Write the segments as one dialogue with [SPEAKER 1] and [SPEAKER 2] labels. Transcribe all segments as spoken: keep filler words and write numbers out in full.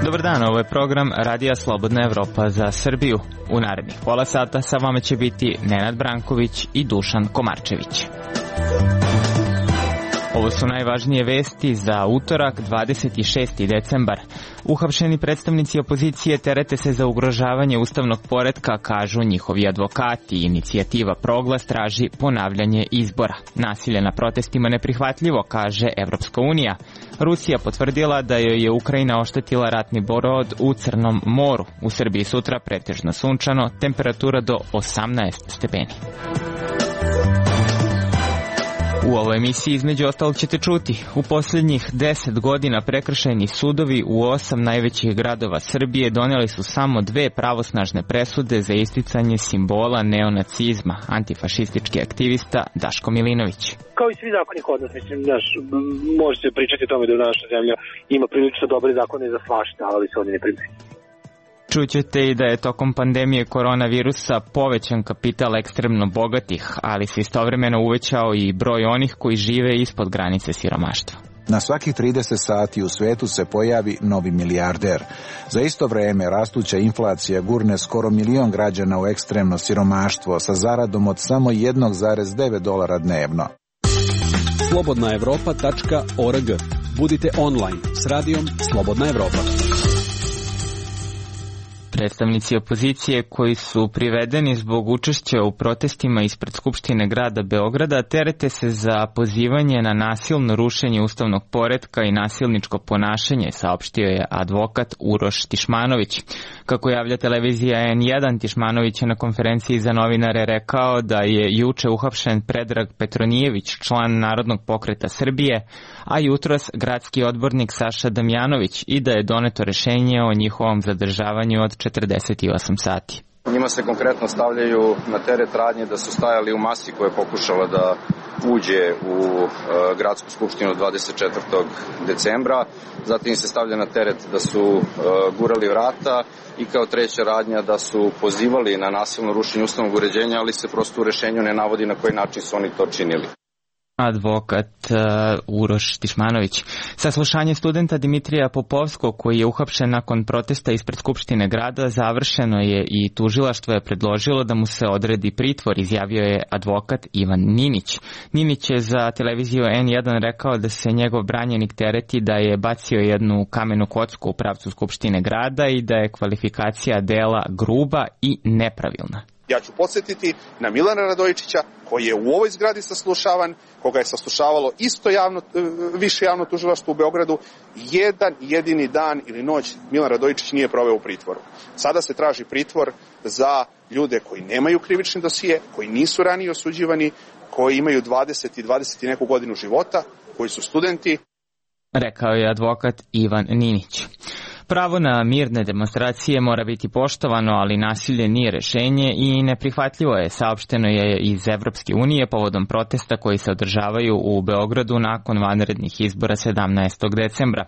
[SPEAKER 1] Dobar dan, ovo je program Radija Slobodna Evropa za Srbiju. U narednih pola sata sa vama će biti Nenad Branković i Dušan Komarčević. Ovo su najvažnije vesti za utorak, dvadeset šesti decembar. Uhapšeni predstavnici opozicije terete se za ugrožavanje ustavnog poretka, kažu njihovi advokati. Inicijativa Proglas traži ponavljanje izbora. Nasilje na protestima neprihvatljivo, kaže Evropska unija. Rusija potvrdila da joj je Ukrajina oštetila ratni brod u Crnom moru. U Srbiji sutra pretežno sunčano, temperatura do osamnaest stepeni. U ovoj emisiji između ostalog ćete čuti. U posljednjih deset godina prekršajni sudovi u osam najvećih gradova Srbije doneli su samo dve pravosnažne presude za isticanje simbola neonacizma, antifašistički aktivista Daško Milinović.
[SPEAKER 2] Kao i svi zakoni kod nas, mislim, naš, može se pričati o tome da u naša zemlja ima prilično dobre zakone za svašta, ali se oni ne primjenjuju.
[SPEAKER 1] Čućete i da je tokom pandemije koronavirusa povećan kapital ekstremno bogatih, ali se istovremeno uvećao i broj onih koji žive ispod granice siromaštva.
[SPEAKER 3] Na svakih trideset sati u svetu se pojavi novi milijarder. Za isto vreme rastuća inflacija gurne skoro milion građana u ekstremno siromaštvo sa zaradom od samo jedan zarez devet dolara dnevno.
[SPEAKER 4] slobodna evropa tačka org. Budite online s radijom Slobodna Evropa.
[SPEAKER 1] Predstavnici opozicije koji su privedeni zbog učešća u protestima ispred Skupštine grada Beograda terete se za pozivanje na nasilno rušenje ustavnog poretka i nasilničko ponašanje, saopštio je advokat Uroš Tišmanović. Kako javlja televizija en jedan, Tišmanović je na konferenciji za novinare rekao da je juče uhapšen Predrag Petronijević, član Narodnog pokreta Srbije, a jutros gradski odbornik Saša Damjanović, i da je doneto rešenje o njihovom zadržavanju od četrdeset osam sati.
[SPEAKER 5] Njima se konkretno stavljaju na teret radnje da su stajali u masi koja je pokušala da uđe u e, gradsku skupštinu dvadeset četvrtog decembra. Zatim se stavlja na teret da su e, gurali vrata i kao treća radnja da su pozivali na nasilno rušenje ustavnog uređenja, ali se prosto u rešenju ne navodi na koji način su oni to činili.
[SPEAKER 1] Advokat uh, Uroš Tišmanović. Saslušanje studenta Dimitrija Popovskog, koji je uhapšen nakon protesta ispred Skupštine grada, završeno je i tužilaštvo je predložilo da mu se odredi pritvor, izjavio je advokat Ivan Ninić. Ninić je za televiziju en jedan rekao da se njegov branjenik tereti da je bacio jednu kamenu kocku u pravcu Skupštine grada i da je kvalifikacija dela gruba i nepravilna.
[SPEAKER 6] Ja ću podsjetiti na Milana Radojičića, koji je u ovoj zgradi saslušavan, koga je saslušavalo isto javno, više javno tužilaštvo u Beogradu. Jedan jedini dan ili noć Milan Radojičić nije proveo u pritvoru. Sada se traži pritvor za ljude koji nemaju krivični dosije, koji nisu ranije osuđivani, koji imaju dvadeset i dvadeset i neku godinu života, koji su studenti.
[SPEAKER 1] Rekao je advokat Ivan Ninić. Pravo na mirne demonstracije mora biti poštovano, ali nasilje nije rešenje i neprihvatljivo je, saopšteno je iz Evropske unije povodom protesta koji se održavaju u Beogradu nakon vanrednih izbora sedamnaestog decembra.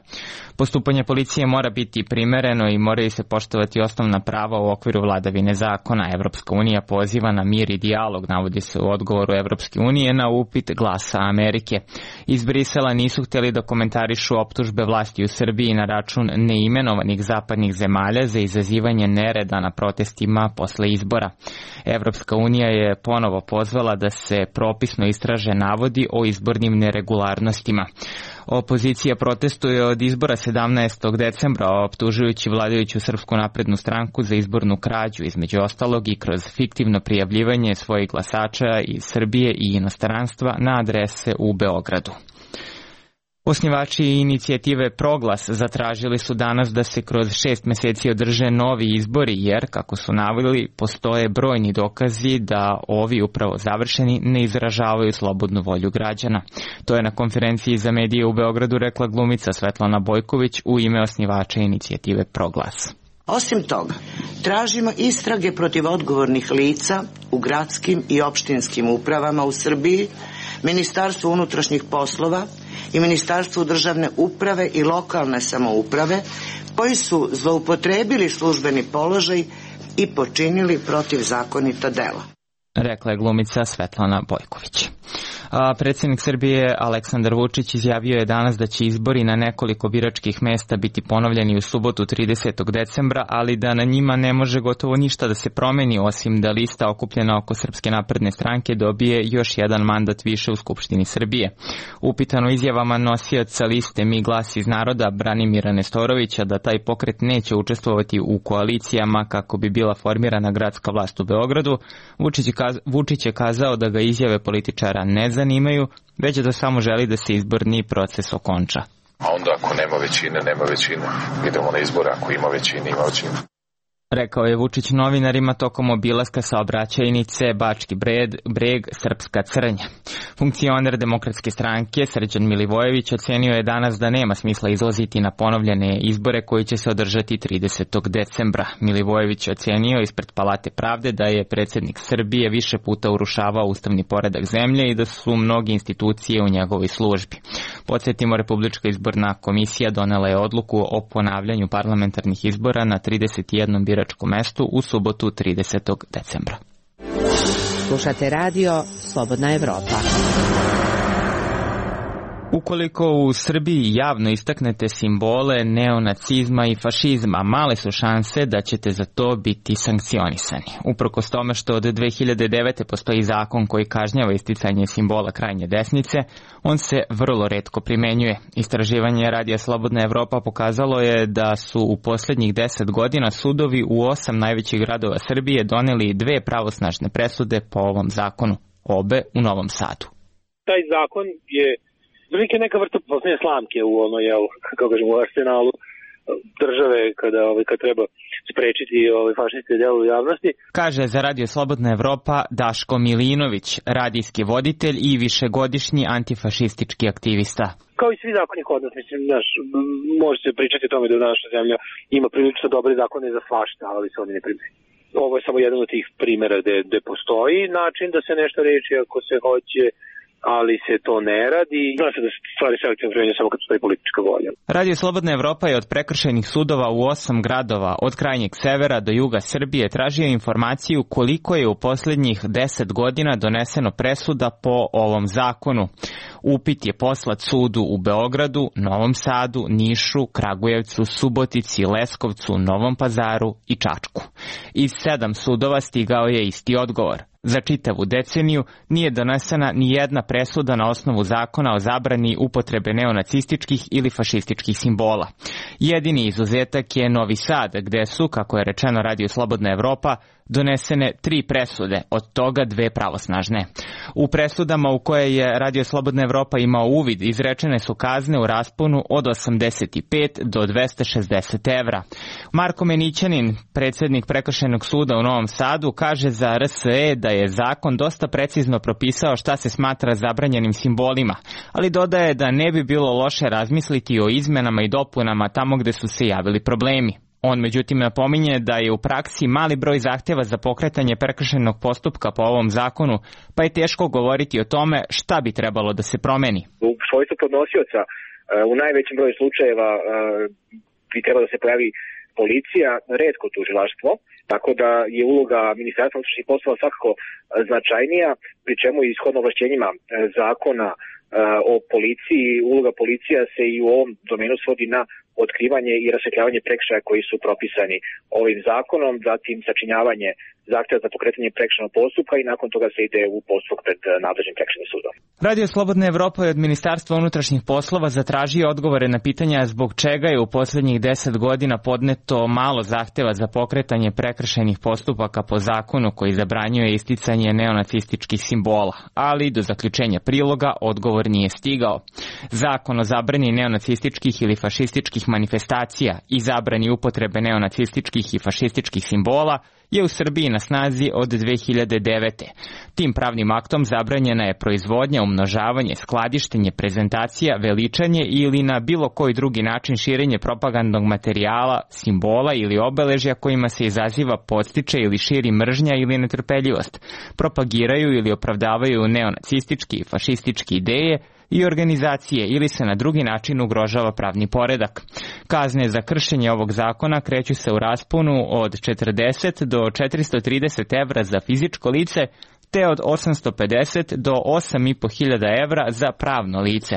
[SPEAKER 1] Postupanje policije mora biti primereno i moraju se poštovati osnovna prava u okviru vladavine zakona. Evropska unija poziva na mir i dijalog, navodi se u odgovoru Evropske unije na upit Glasa Amerike. Iz Brisela nisu htjeli da komentarišu optužbe vlasti u Srbiji na račun neimenovanih zapadnih zemalja za izazivanje nereda na protestima posle izbora. Evropska unija je ponovo pozvala da se propisno istraže navodi o izbornim neregularnostima. Opozicija protestuje od izbora sedamnaestog decembra, optužujući vladajuću Srpsku naprednu stranku za izbornu krađu, između ostalog i kroz fiktivno prijavljivanje svojih glasača iz Srbije i inostranstva na adrese u Beogradu. Osnivači inicijative Proglas zatražili su danas da se kroz šest meseci održe novi izbori, jer, kako su naveli, postoje brojni dokazi da ovi upravo završeni ne izražavaju slobodnu volju građana. To je na konferenciji za medije u Beogradu rekla glumica Svetlana Bojković u ime osnivača inicijative Proglas.
[SPEAKER 7] Osim toga, tražimo istrage protiv odgovornih lica u gradskim i opštinskim upravama u Srbiji, Ministarstvu unutrašnjih poslova i Ministarstvu državne uprave i lokalne samouprave, koji su zloupotrebili službeni položaj i počinili protivzakonita dela.
[SPEAKER 1] rekla je glumica Svetlana Bojković. A predsjednik Srbije Aleksandar Vučić izjavio je danas da će izbori na nekoliko biračkih mesta biti ponovljeni u subotu tridesetog decembra, ali da na njima ne može gotovo ništa da se promeni, osim da lista okupljena oko Srpske napredne stranke dobije još jedan mandat više u Skupštini Srbije. Upitano izjavama nosioca liste Mi glas iz naroda Branimira Nestorovića da taj pokret neće učestvovati u koalicijama kako bi bila formirana gradska vlast u Beogradu, Vučić je, kaz- Vučić je kazao da ga izjave političara ne zanimaju, već da samo želi da se izborni proces okonča.
[SPEAKER 8] A onda ako nema većine, nema većine. Idemo na izbore, ako ima većine, ima većine.
[SPEAKER 1] Rekao je Vučić novinarima tokom obilaska saobraćajnice Bački Breg, Breg Srpska Crnja. Funkcioner Demokratske stranke Srđan Milivojević ocenio je danas da nema smisla izlaziti na ponovljene izbore koji će se održati tridesetog decembra. Milivojević je ocenio ispred Palate pravde da je predsjednik Srbije više puta urušavao ustavni poredak zemlje i da su mnoge institucije u njegovoj službi. Podsjetimo, Republička izborna komisija donela je odluku o ponavljanju parlamentarnih izbora na trideset jednom biračkom mestu u subotu tridesetog decembra.
[SPEAKER 9] Slušate radio Slobodna Evropa.
[SPEAKER 1] Ukoliko u Srbiji javno istaknete simbole neonacizma i fašizma, male su šanse da ćete za to biti sankcionisani. Uprkos tome što od dve hiljade devete. postoji zakon koji kažnjava isticanje simbola krajnje desnice, on se vrlo retko primenjuje. Istraživanje Radija Slobodna Evropa pokazalo je da su u posljednjih deset godina sudovi u osam najvećih gradova Srbije doneli dve pravosnažne presude po ovom zakonu, obe u Novom Sadu.
[SPEAKER 2] Taj zakon je Velike neka vrsta posljednje slamke u ono, jel, kako kažem, u arsenalu države kada, ovaj, kad treba sprečiti ovaj, fašističke djelo u javnosti.
[SPEAKER 1] Kaže za Radio Slobodna Evropa Daško Milinović, radijski voditelj i višegodišnji antifašistički aktivista.
[SPEAKER 2] Kao i svi zakoni kod nas, mislim, naš, može se pričati o tome da naša zemlja ima prilično dobre zakone za svašta, ali se oni ne primjenjuju. Ovo je samo jedan od tih primjera gde, gde postoji način da se nešto reči ako se hoće, ali se to ne radi. Zna se da stvari selektivno primjenjuju samo kad postoji politička volja.
[SPEAKER 1] Radio Slobodna Evropa je od prekršajnih sudova u osam gradova od krajnjeg severa do juga Srbije tražio informaciju koliko je u posljednjih deset godina doneseno presuda po ovom zakonu. Upit je poslat sudu u Beogradu, Novom Sadu, Nišu, Kragujevcu, Subotici, Leskovcu, Novom Pazaru i Čačku. Iz sedam sudova stigao je isti odgovor. Za čitavu deceniju nije donesena ni jedna presuda na osnovu zakona o zabrani upotrebe neonacističkih ili fašističkih simbola. Jedini izuzetak je Novi Sad, gde su, kako je rečeno Radio Slobodna Evropa, donesene tri presude, od toga dve pravosnažne. U presudama u koje je Radio Slobodna Evropa imao uvid, izrečene su kazne u rasponu od osamdeset pet do dvesta šezdeset evra. Marko Menićanin, predsjednik Prekršajnog suda u Novom Sadu, kaže za R S E da je zakon dosta precizno propisao šta se smatra zabranjenim simbolima, ali dodaje da ne bi bilo loše razmisliti o izmenama i dopunama tamo gde su se javili problemi. On međutim napominje da je u praksi mali broj zahtjeva za pokretanje prekršajnog postupka po ovom zakonu, pa je teško govoriti o tome šta bi trebalo da se promeni.
[SPEAKER 10] U svojstvu podnosioca u najvećem broju slučajeva bi trebalo da se pojavi policija, retko tužilaštvo, tako da je uloga Ministarstva unutrašnjih poslova svakako značajnija, pri čemu i ishodno ovlašćenjima zakona o policiji, uloga policija se i u ovom domenu svodi na otkrivanje i rasvetljavanje prekršaja koji su propisani ovim zakonom, zatim sačinjavanje zahtjeva za pokretanje prekršajnog postupka i nakon toga se ide u postupak pred nadležnim prekršajnim sudom. Radio
[SPEAKER 1] Slobodna Evropa je od Ministarstva unutrašnjih poslova zatražio odgovore na pitanja zbog čega je u posljednjih deset godina podneto malo zahtjeva za pokretanje prekršajnih postupaka po zakonu koji zabranjuje isticanje neonacističkih simbola, ali do zaključenja priloga odgovor nije stigao. Zakon o zabrani neonacističkih ili fašističkih manifestacija i zabrani upotrebe neonacističkih i fašističkih simbola je u Srbiji na snazi od dve hiljade devete. Tim pravnim aktom zabranjena je proizvodnja, umnožavanje, skladištenje, prezentacija, veličanje ili na bilo koji drugi način širenje propagandnog materijala, simbola ili obeležja kojima se izaziva, podstiče ili širi mržnja ili netrpeljivost, propagiraju ili opravdavaju neonacistički i fašistički ideje i organizacije ili se na drugi način ugrožava pravni poredak. Kazne za kršenje ovog zakona kreću se u rasponu od četrdeset do četiristo trideset evra za fizičko lice te od osamsto pedeset do osam i po hiljada evra za pravno lice.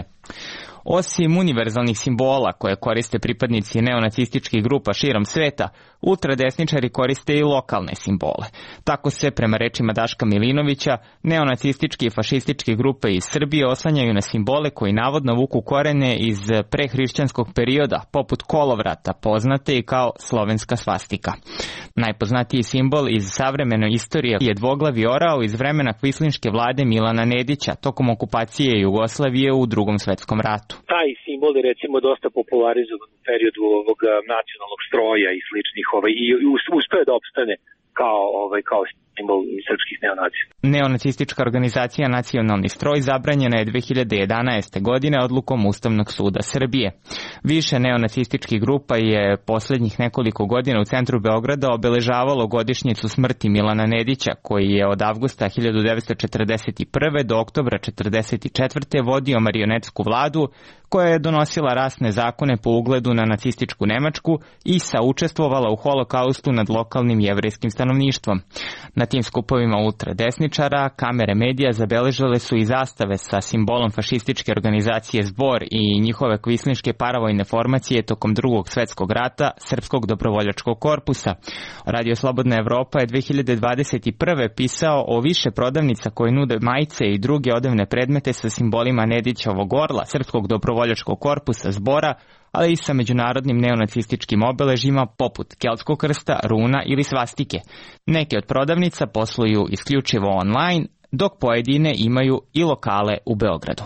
[SPEAKER 1] Osim univerzalnih simbola koje koriste pripadnici neonacističkih grupa širom sveta, ultradesničari koriste i lokalne simbole. Tako se, prema rečima Daška Milinovića, neonacistički i fašističke grupe iz Srbije oslanjaju na simbole koji navodno vuku korene iz prehrišćanskog perioda, poput kolovrata, poznate i kao slovenska svastika. Najpoznatiji simbol iz savremene istorije je dvoglavi orao iz vremena kvislinške vlade Milana Nedića tokom okupacije Jugoslavije u Drugom svetskom ratu.
[SPEAKER 2] Taj simbol je recimo dosta popularizovan u periodu ovog nacionalnog stroja i sličnih ovaj, i uspeo da opstane kao, ovaj, kao simbol srpskih neonacija.
[SPEAKER 1] Neonacistička organizacija Nacionalni stroj zabranjena je dve hiljade jedanaeste. godine odlukom Ustavnog suda Srbije. Više neonacističkih grupa je posljednjih nekoliko godina u centru Beograda obeležavalo godišnjicu smrti Milana Nedića, koji je od avgusta hiljadu devetsto četrdeset prve. do oktobra četrdeset četvrte. vodio marionetsku vladu koja je donosila rasne zakone po ugledu na nacističku Nemačku i saučestvovala u holokaustu nad lokalnim jevrejskim stanovništvom. Na tim skupovima ultradesničara kamere medija zabeležile su i zastave sa simbolom fašističke organizacije Zbor i njihove kvislinške paravojne formacije tokom Drugog svetskog rata Srpskog dobrovoljačkog korpusa. Radio Slobodna Evropa je dve hiljade dvadeset prve. pisao o više prodavnica koje nude majice i druge odevne predmete sa simbolima Nedićevog orla, Srpskog dobrovoljačkog korpusa Zbora, ali i sa međunarodnim neonacističkim obeležima poput keltskog krsta, runa ili svastike. Neke od prodavnica posluju isključivo online, dok pojedine imaju i lokale u Beogradu.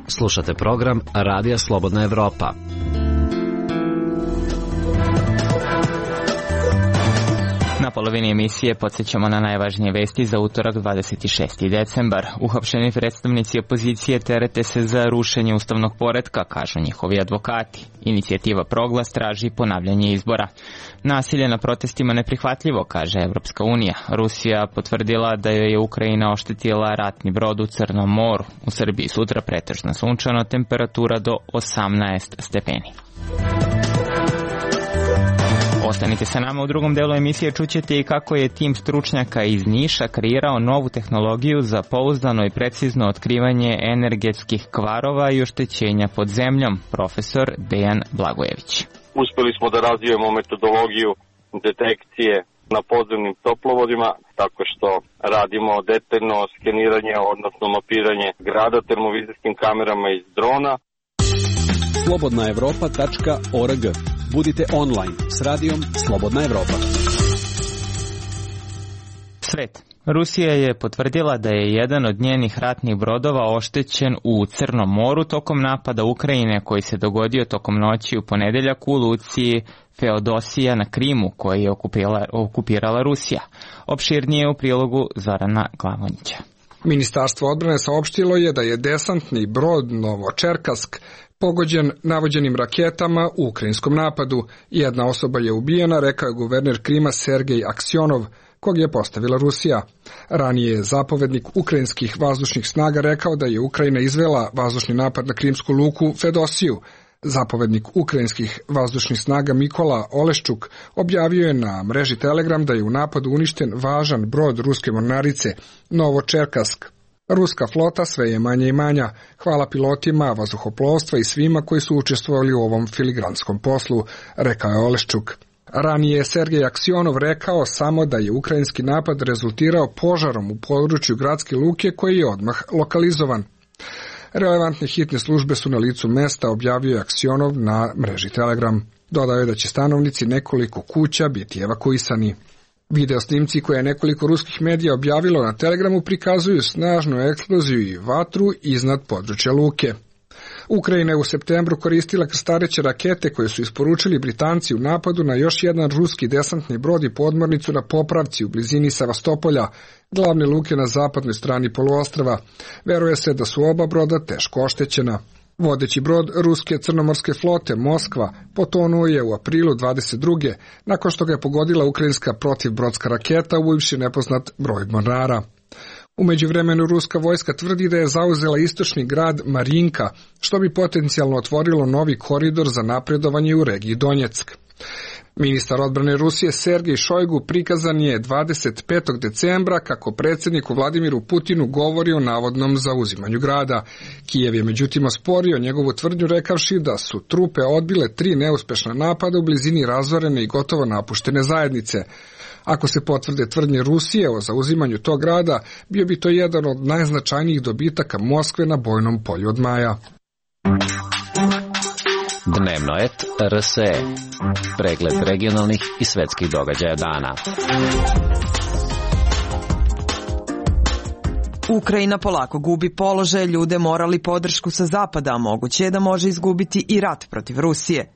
[SPEAKER 11] Slušate program Radija Slobodna Evropa.
[SPEAKER 1] Na polovini emisije podsjećamo na najvažnije vesti za utorak dvadeset šesti decembar. Uhapšeni predstavnici opozicije terete se za rušenje ustavnog poretka, kažu njihovi advokati. Inicijativa Proglas traži ponavljanje izbora. Nasilje na protestima neprihvatljivo, kaže Evropska unija. Rusija potvrdila da joj je Ukrajina oštetila ratni brod u Crnom moru. U Srbiji sutra pretežno sunčano, temperatura do osamnaest stepeni. Ostanite sa nama u drugom delu emisije, čućete i kako je tim stručnjaka iz Niša kreirao novu tehnologiju za pouzdano i precizno otkrivanje energetskih kvarova i oštećenja pod zemljom, profesor Dejan Blagojević.
[SPEAKER 12] Uspeli smo da razvijemo metodologiju detekcije na podzemnim toplovodima, tako što radimo detaljno skeniranje, odnosno mapiranje grada termovizijskim kamerama iz drona.
[SPEAKER 4] slobodna evropa tačka org. Budite online s radijom Slobodna Evropa.
[SPEAKER 1] Svet. Rusija je potvrdila da je jedan od njenih ratnih brodova oštećen u Crnom moru tokom napada Ukrajine koji se dogodio tokom noći u ponedeljak u luci Feodosija na Krimu, koji je okupirala, okupirala Rusija. Opširnije u prilogu Zorana Glavonjića.
[SPEAKER 13] Ministarstvo odbrane saopštilo je da je desantni brod Novočerkask pogođen navođenim raketama u ukrajinskom napadu. Jedna osoba je ubijena, rekao je guverner Krima Sergej Aksionov, kog je postavila Rusija. Ranije je zapovednik ukrajinskih vazdušnih snaga rekao da je Ukrajina izvela vazdušni napad na krimsku luku Fedosiju. Zapovednik ukrajinskih vazdušnih snaga Mikola Oleščuk objavio je na mreži Telegram da je u napadu uništen važan brod ruske mornarice Novočerkask. Ruska flota sve je manja i manja. Hvala pilotima vazduhoplovstva i svima koji su učestvovali u ovom filigranskom poslu, rekao je Oleščuk. Ranije je Sergej Aksionov rekao samo da je ukrajinski napad rezultirao požarom u području gradske luke koji je odmah lokalizovan. Relevantne hitne službe su na licu mesta, objavio je Aksionov na mreži Telegram. Dodao je da će stanovnici nekoliko kuća biti evakuisani. Video snimci koje je nekoliko ruskih medija objavilo na Telegramu prikazuju snažnu eksploziju i vatru iznad područja luke. Ukrajina je u septembru koristila krstareće rakete koje su isporučili Britanci u napadu na još jedan ruski desantni brod i podmornicu na popravci u blizini Sevastopolja, glavne luke na zapadnoj strani poluostrva. Veruje se da su oba broda teško oštećena. Vodeći brod ruske crnomorske flote Moskva potonuo je u aprilu dvadeset druge nakon što ga je pogodila ukrajinska protivbrodska raketa ubivši nepoznat broj mornara. U međuvremenu ruska vojska tvrdi da je zauzela istočni grad Marinka, što bi potencijalno otvorilo novi koridor za napredovanje u regiji Donjeck. Ministar odbrane Rusije Sergej Šojgu prikazan je dvadeset petog decembra kako predsjedniku Vladimiru Putinu govori o navodnom zauzimanju grada. Kijev je međutim osporio njegovu tvrdnju rekavši da su trupe odbile tri neuspešna napada u blizini razorene i gotovo napuštene zajednice. Ako se potvrde tvrdnje Rusije o zauzimanju tog grada, bio bi to jedan od najznačajnijih dobitaka Moskve na bojnom polju od maja.
[SPEAKER 11] Dnevno et R S E. Pregled regionalnih i svetskih događaja dana.
[SPEAKER 14] Ukrajina polako gubi položaj, ljude morali podršku sa zapada, a moguće je da može izgubiti i rat protiv Rusije.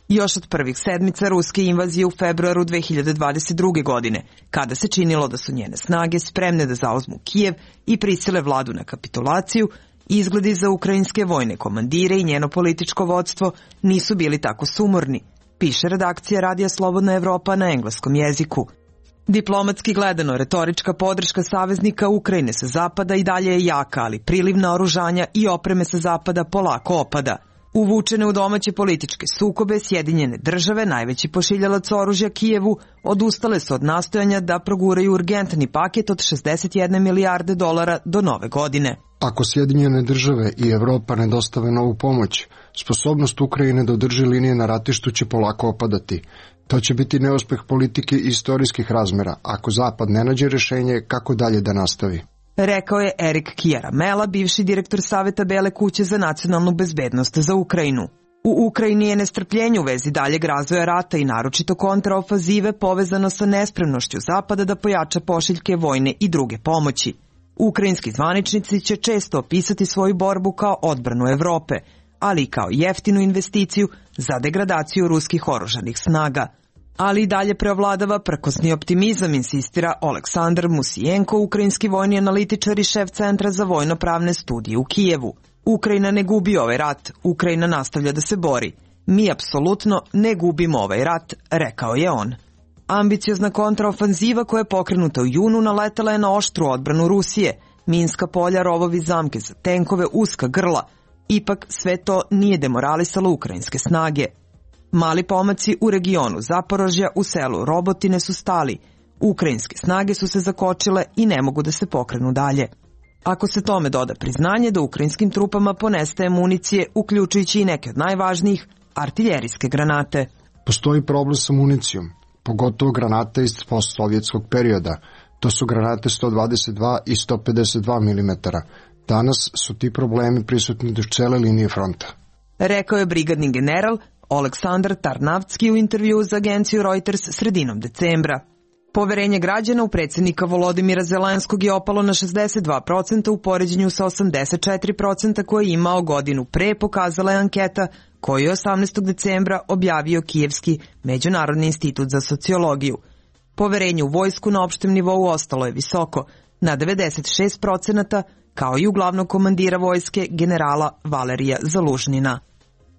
[SPEAKER 14] Još od prvih sedmica ruske invazije u februaru dve hiljade dvadeset druge. godine, kada se činilo da su njene snage spremne da zauzmu Kijev i prisile vladu na kapitulaciju, izgledi za ukrajinske vojne komandire i njeno političko vodstvo nisu bili tako sumorni, piše redakcija Radija Slobodna Evropa na engleskom jeziku. Diplomatski gledano, retorička podrška saveznika Ukrajine sa zapada i dalje je jaka, ali priliv naoružanja i opreme sa zapada polako opada. Uvučene u domaće političke sukobe, Sjedinjene države, najveći pošiljalac oružja Kijevu, odustale su od nastojanja da proguraju urgentni paket od šezdeset jedne milijarde dolara do nove godine.
[SPEAKER 15] Ako Sjedinjene države i Evropa ne dostave novu pomoć, sposobnost Ukrajine da održi linije na ratištu će polako opadati. To će biti neuspeh politike i istorijskih razmera, ako Zapad ne nađe rešenje kako dalje da nastavi.
[SPEAKER 14] Rekao je Erik Kjaramela, bivši direktor Saveta Bele kuće za nacionalnu bezbednost za Ukrajinu. U Ukrajini je nestrpljenje u vezi daljeg razvoja rata i naročito kontraofazive povezano sa nespremnošću Zapada da pojača pošiljke vojne i druge pomoći. Ukrajinski zvaničnici će često opisati svoju borbu kao odbranu Evrope, ali i kao jeftinu investiciju za degradaciju ruskih oružanih snaga. Ali i dalje preovladava prkosni optimizam, insistira Oleksandar Musijenko, ukrajinski vojni analitičar i šef Centra za vojno-pravne studije u Kijevu. Ukrajina ne gubi ovaj rat, Ukrajina nastavlja da se bori. Mi apsolutno ne gubimo ovaj rat, rekao je on. Ambiciozna kontraofanziva koja je pokrenuta u junu naletela je na oštru odbranu Rusije, minska polja, rovovi, zamke za tenkove, uska grla. Ipak sve to nije demoralisalo ukrajinske snage. Mali pomaci u regionu Zaporožja u selu Robotine su stali. Ukrajinske snage su se zakočile i ne mogu da se pokrenu dalje. Ako se tome doda priznanje da ukrajinskim trupama ponestaje municije, uključujući i neke od najvažnijih, artiljerijske granate.
[SPEAKER 15] Postoji problem sa municijom, pogotovo granate iz postsovjetskog perioda. To su granate sto dvadeset dva i sto pedeset dva milimetara. Danas su ti problemi prisutni duž cele linije fronta.
[SPEAKER 14] Rekao je brigadni general Oleksandar Tarnavski u intervju za agenciju Reuters sredinom decembra. Poverenje građana u predsjednika Volodimira Zelenskog je opalo na šezdeset dva procenta u poređenju sa osamdeset četiri procenta koje je imao godinu pre, pokazala je anketa koju je osamnaestog decembra objavio Kijevski Međunarodni institut za sociologiju. Poverenje u vojsku na opštem nivou ostalo je visoko, na devedeset šest procenata, kao i u glavnog komandira vojske generala Valerija Zalužnina.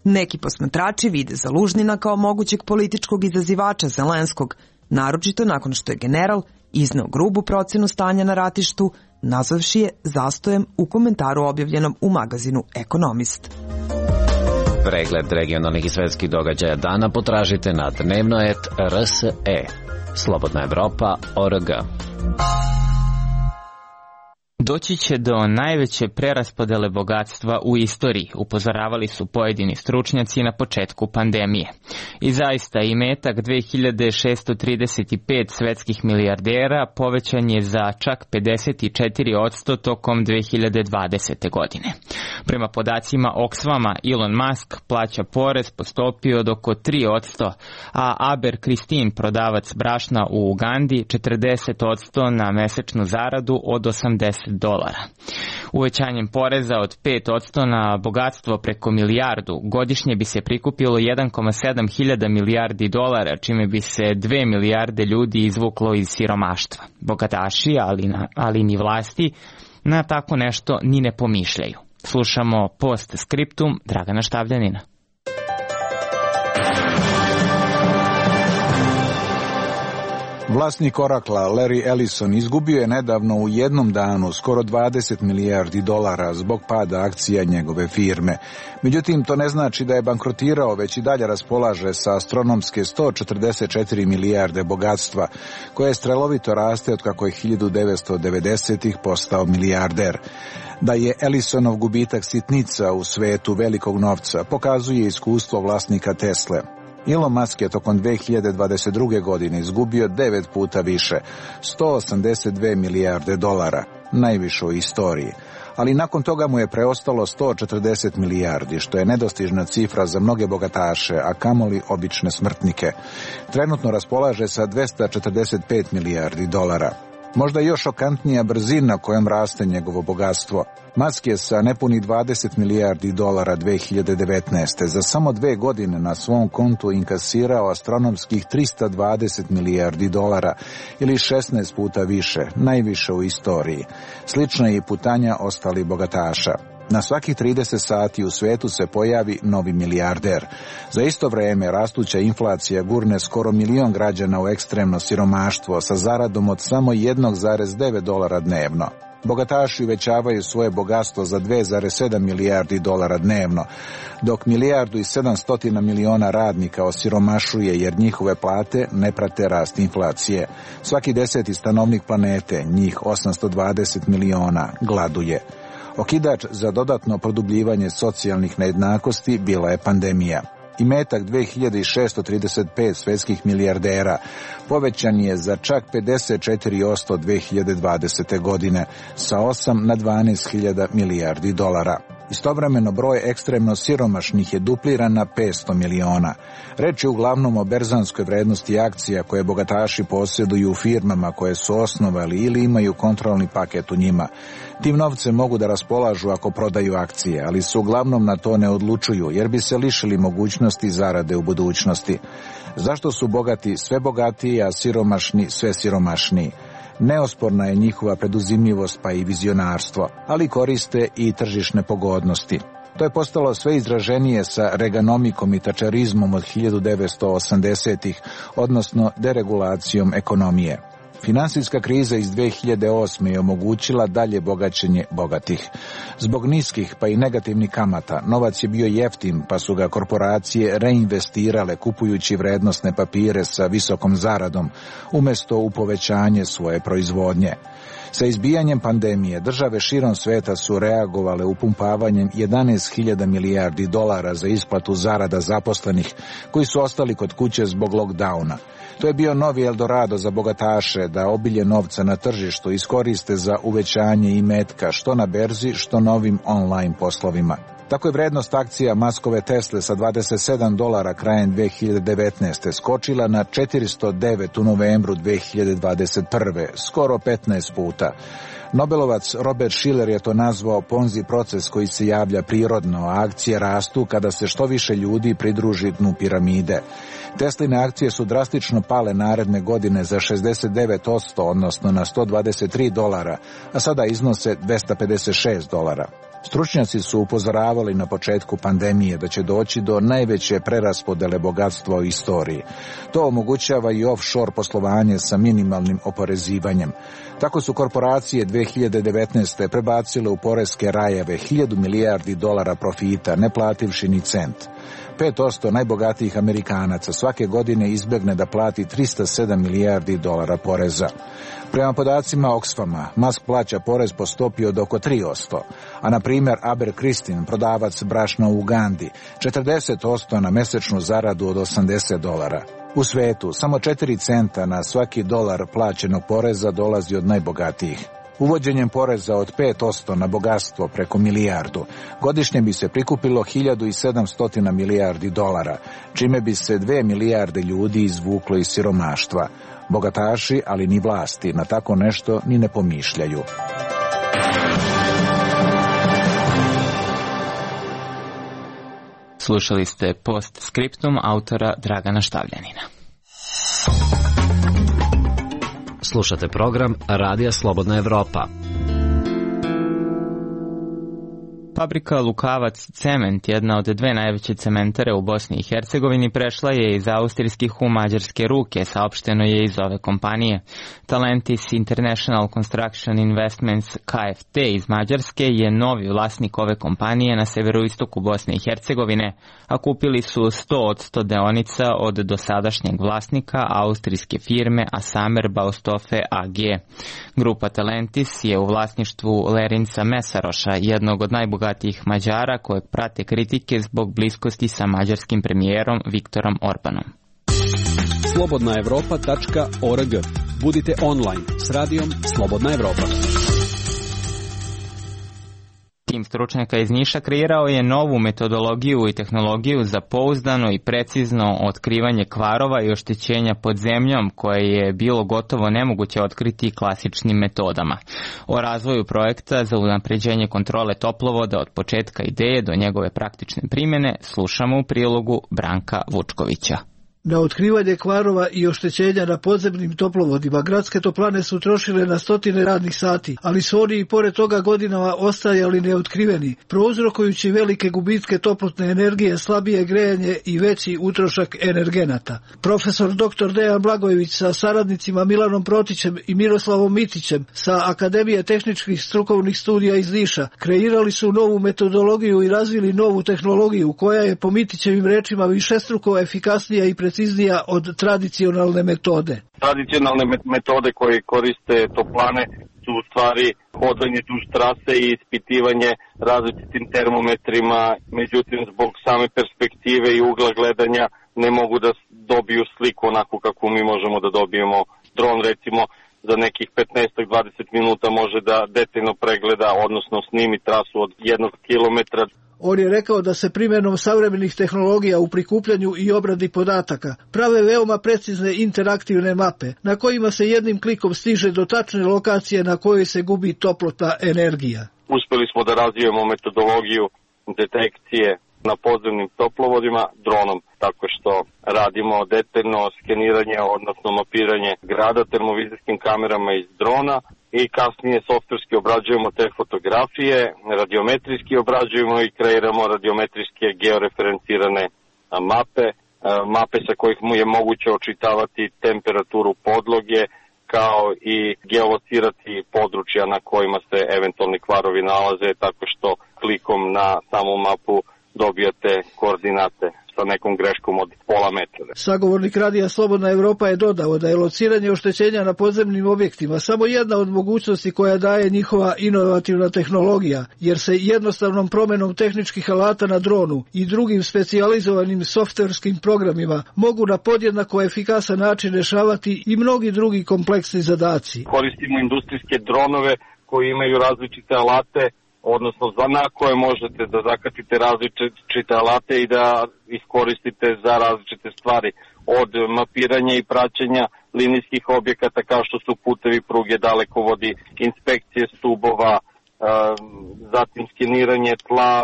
[SPEAKER 14] Neki posmatrači vide Zalužnina kao mogućeg političkog izazivača Zelenskog, naročito nakon što je general izneo grubu procenu stanja na ratištu, nazvavši je zastojem u komentaru objavljenom u magazinu Ekonomist.
[SPEAKER 11] Pregled regionalnih i svetskih događaja dana potražite na dnevno et R S E. Slobodna Evropa O R G.
[SPEAKER 1] Doći će do najveće preraspodele bogatstva u istoriji, upozoravali su pojedini stručnjaci na početku pandemije. I zaista imetak dve hiljade šesto trideset pet svetskih milijardera povećan je za čak pedeset četiri posto tokom dve hiljade dvadesete. godine. Prema podacima Oxfama, Elon Musk plaća porez po stopi od oko tri posto, a Aber Kristin, prodavac brašna u Ugandi, četrdeset posto na mesečnu zaradu od osamdeset dolara. Uvećanjem poreza od pet posto na bogatstvo preko milijardu godišnje bi se prikupilo jedan zarez sedam hiljada milijardi dolara, čime bi se dve milijarde ljudi izvuklo iz siromaštva. Bogataši, ali, na, ali ni vlasti, na tako nešto ni ne pomišljaju. Slušamo post skriptum Dragana Štavljanina.
[SPEAKER 3] Vlasnik Oracla, Larry Ellison, izgubio je nedavno u jednom danu skoro dvadeset milijardi dolara zbog pada akcija njegove firme. Međutim, to ne znači da je bankrotirao, već i dalje raspolaže sa astronomske sto četrdeset četiri milijarde bogatstva, koje strelovito raste od kako je hiljadu devetsto devedesetih postao milijarder. Da je Ellisonov gubitak sitnica u svetu velikog novca, pokazuje iskustvo vlasnika Tesle. Elon Musk je tokom dve hiljade dvadeset druge. godine izgubio devet puta više, sto osamdeset dve milijarde dolara, najviše u istoriji. Ali nakon toga mu je preostalo sto četrdeset milijardi, što je nedostižna cifra za mnoge bogataše, a kamoli obične smrtnike. Trenutno raspolaže sa dvesta četrdeset pet milijardi dolara. Možda još šokantnija brzina kojom raste njegovo bogatstvo. Musk je sa nepuni dvadeset milijardi dolara dve hiljade devetnaeste. za samo dve godine na svom kontu inkasirao astronomskih trista dvadeset milijardi dolara ili šesnaest puta više, najviše u istoriji. Slična je i putanja ostalih bogataša. Na svakih trideset sati u svetu se pojavi novi milijarder. Za isto vreme rastuća inflacija gurne skoro milion građana u ekstremno siromaštvo sa zaradom od samo jedan zarez devet dolara dnevno. Bogataši uvećavaju svoje bogatstvo za dva zarez sedam milijardi dolara dnevno, dok milijardu i sedamstotina miliona radnika osiromašuje jer njihove plate ne prate rast inflacije. Svaki deseti stanovnik planete, njih osamsto dvadeset miliona, gladuje. Okidač za dodatno produbljivanje socijalnih nejednakosti bila je pandemija. Imetak dve hiljade šeststo trideset pet svetskih milijardera povećan je za čak pedeset četiri posto dve hiljade dvadesete. godine, sa osam na dvanaest hiljada milijardi dolara. Istovremeno broj ekstremno siromašnih je dupliran na petsto miliona. Reč je uglavnom o berzanskoj vrednosti akcija koje bogataši posjeduju u firmama koje su osnovali ili imaju kontrolni paket u njima. Tim novcem mogu da raspolažu ako prodaju akcije, ali se uglavnom na to ne odlučuju jer bi se lišili mogućnosti zarade u budućnosti. Zašto su bogati sve bogatiji, a siromašni sve siromašniji? Neosporna je njihova preduzimljivost pa i vizionarstvo, ali koriste i tržišne pogodnosti. To je postalo sve izraženije sa reganomikom i tačerizmom od hiljadu devetsto osamdesetih, odnosno deregulacijom ekonomije. Finansijska kriza iz dve hiljade osme. je omogućila dalje bogaćenje bogatih. Zbog niskih pa i negativnih kamata, novac je bio jeftin pa su ga korporacije reinvestirale kupujući vrednosne papire sa visokom zaradom, umjesto u povećanje svoje proizvodnje. Sa izbijanjem pandemije, države širom sveta su reagovale upumpavanjem jedanaest hiljada milijardi dolara za isplatu zarada zaposlenih koji su ostali kod kuće zbog lockdowna. To je bio novi Eldorado za bogataše da obilje novca na tržištu iskoriste za uvećanje imetka što na berzi, što novim online poslovima. Tako je vrednost akcija Muskove Tesle sa dvadeset sedam dolara krajem dve hiljade devetnaeste. skočila na četiristo devet u novembru dve hiljade dvadeset prve. skoro petnaest puta. Nobelovac Robert Shiller je to nazvao Ponzi proces koji se javlja prirodno, a akcije rastu kada se što više ljudi pridruži dnu piramide. Tesline akcije su drastično pale naredne godine za šezdeset devet posto, odnosno na sto dvadeset tri dolara, a sada iznose dvesta pedeset šest dolara. Stručnjaci su upozoravali na početku pandemije da će doći do najveće preraspodele bogatstva u istoriji. To omogućava i offshore poslovanje sa minimalnim oporezivanjem. Tako su korporacije dve hiljade devetnaeste. prebacile u poreske rajeve hiljadu milijardi dolara profita, ne plativši ni cent. pet posto najbogatijih Amerikanaca svake godine izbjegne da plati trista sedam milijardi dolara poreza. Prema podacima Oxfama, Musk plaća porez po stopi od oko tri posto, a na primjer Abercristin, prodavac brašna u Ugandi, četrdeset posto na mesečnu zaradu od osamdeset dolara. U svetu samo četiri centa na svaki dolar plaćenog poreza dolazi od najbogatijih. Uvođenjem poreza od pet posto na bogatstvo preko milijardu, godišnje bi se prikupilo hiljadu sedamsto milijardi dolara, čime bi se dve milijarde ljudi izvuklo iz siromaštva. Bogataši, ali ni vlasti, na tako nešto ni ne pomišljaju.
[SPEAKER 1] Slušali ste Postscriptum autora Dragana Štavljanina.
[SPEAKER 11] Slušate program Radija Slobodna Evropa.
[SPEAKER 1] Fabrika Lukavac Cement, jedna od dve najveće cementare u Bosni i Hercegovini, prešla je iz austrijskih u mađarske ruke, saopšteno je iz ove kompanije. Talentis International Construction Investments K F T iz Mađarske je novi vlasnik ove kompanije na severoistoku Bosne i Hercegovine, a kupili su sto od sto deonica od dosadašnjeg vlasnika austrijske firme Asamer Baustofe A G. Grupa Talentis je u vlasništvu Lerinca Mesaroša, jednog od najbogatijih Mađara kojeg prate kritike zbog bliskosti sa mađarskim premijerom Viktorom Orbanom.
[SPEAKER 4] slobodna evropa tačka org. Budite online s radijom Slobodna Evropa.
[SPEAKER 1] Tim stručnjaka iz Niša kreirao je novu metodologiju i tehnologiju za pouzdano i precizno otkrivanje kvarova i oštećenja pod zemljom koje je bilo gotovo nemoguće otkriti klasičnim metodama. O razvoju projekta za unapređenje kontrole toplovoda od početka ideje do njegove praktične primjene slušamo u prilogu Branka Vučkovića.
[SPEAKER 16] Na otkrivanje kvarova i oštećenja na podzemnim toplovodima gradske toplane su trošile na stotine radnih sati, ali su oni i pored toga godinama ostajali neotkriveni, prouzrokujući velike gubitke toplotne energije, slabije grejanje i veći utrošak energenata. Profesor doktor Dejan Blagojević sa saradnicima Milanom Protićem i Miroslavom Mitićem sa Akademije tehničkih strukovnih studija iz Niša kreirali su novu metodologiju i razvili novu tehnologiju koja je po Mitićevim rečima višestruko efikasnija i preciznija od tradicionalne metode.
[SPEAKER 12] Tradicionalne metode koje koriste toplane su u stvari hodanje duž trase i ispitivanje različitim termometrima, međutim zbog same perspektive i ugla gledanja ne mogu da dobiju sliku onako kako mi možemo da dobijemo. Dron recimo za nekih petnaest do dvadeset minuta može da detaljno pregleda, odnosno snimi trasu od jednog kilometra.
[SPEAKER 16] On je rekao da se primjenom savremenih tehnologija u prikupljanju i obradi podataka prave veoma precizne interaktivne mape na kojima se jednim klikom stiže do tačne lokacije na kojoj se gubi toplotna energija.
[SPEAKER 12] Uspeli smo da razvijemo metodologiju detekcije na podzemnim toplovodima dronom, tako što radimo detaljno skeniranje, odnosno mapiranje grada termovizijskim kamerama iz drona i kasnije softverski obrađujemo te fotografije, radiometrijski obrađujemo i kreiramo radiometrijske georeferencirane mape, mape sa kojih mu je moguće očitavati temperaturu podloge, kao i geolocirati područja na kojima se eventualni kvarovi nalaze, tako što klikom na samu mapu dobijate koordinate sa nekom greškom od pola metra.
[SPEAKER 16] Sagovornik radija Slobodna Evropa je dodao da je lociranje oštećenja na podzemnim objektima samo jedna od mogućnosti koja daje njihova inovativna tehnologija, jer se jednostavnom promenom tehničkih alata na dronu i drugim specijalizovanim softverskim programima mogu na podjednako efikasan način rešavati i mnogi drugi kompleksni zadaci.
[SPEAKER 12] Koristimo industrijske dronove koji imaju različite alate, odnosno na koje možete da zakatite različite alate i da iskoristite za različite stvari, od mapiranja i praćenja linijskih objekata kao što su putevi, pruge, dalekovodi, inspekcije stubova, zatim skeniranje tla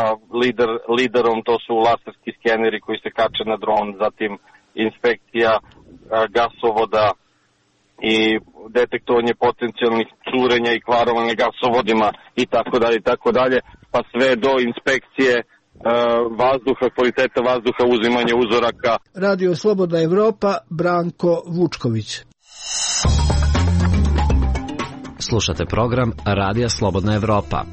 [SPEAKER 12] lider, liderom, to su laserski skeneri koji se kače na dron, zatim inspekcija gasovoda i detektovanje potencijalnih curenja i kvarova na gasovodima i tako dalje i tako dalje, pa sve do inspekcije e, vazduha, kvaliteta vazduha, uzimanje uzoraka.
[SPEAKER 16] Radio Slobodna Evropa, Branko Vučković.
[SPEAKER 11] Slušate program Radija Slobodna Evropa.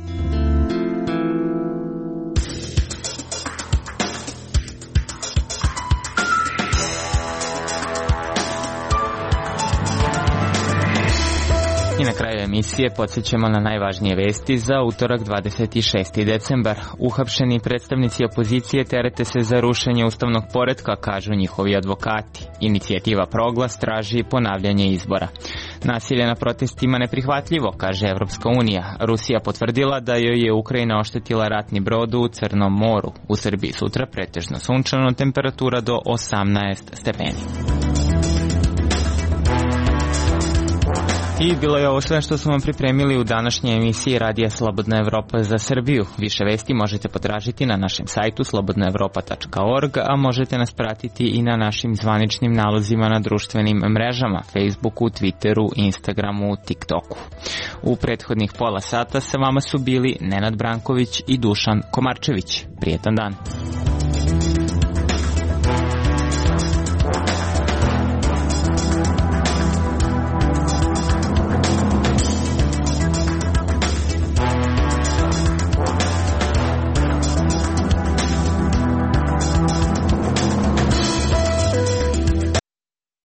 [SPEAKER 1] I na kraju emisije podsjećamo na najvažnije vesti za utorak dvadeset šesti decembar. Uhapšeni predstavnici opozicije terete se za rušenje ustavnog poretka, kažu njihovi advokati. Inicijativa Proglas traži ponavljanje izbora. Nasilje na protestima neprihvatljivo, kaže Evropska unija. Rusija potvrdila da joj je Ukrajina oštetila ratni brod u Crnom moru. U Srbiji sutra pretežno sunčano, temperatura do osamnaest stepeni. I bilo je ovo sve što smo vam pripremili u današnjoj emisiji Radija Slobodna Evropa za Srbiju. Više vesti možete potražiti na našem sajtu slobodna evropa tačka org, a možete nas pratiti i na našim zvaničnim nalozima na društvenim mrežama, Facebooku, Twitteru, Instagramu, TikToku. U prethodnih pola sata sa vama su bili Nenad Branković i Dušan Komarčević. Prijetan dan.